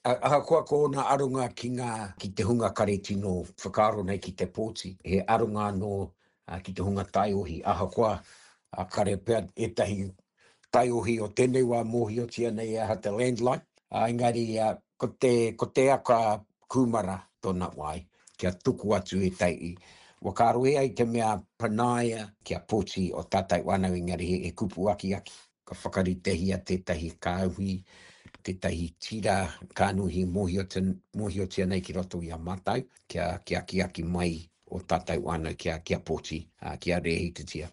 Ahakoa ko ōna aronga ki ngā, ki te hunga kare tino whakaaro nei ki te pōti, he aronga anō ki te hunga taiohi, ahakoa kare pea ētahi taiohi o tēnei wā mōhiotia nei e aha te landline, engari ko te, ko te aka kūmara tōna wai, kia tuku atu ētahi whakaaro e ai te mea panaia kia pōti o tātou whānau engari he kupu akiaki. Ka whakaritehia tētahi kāhui, tētahi tira kānuhi mōhiotia nei ki roto i a mātou, kia, kia akiaki mai o tātou whānau kia, kia pōti, kia rēhitatia.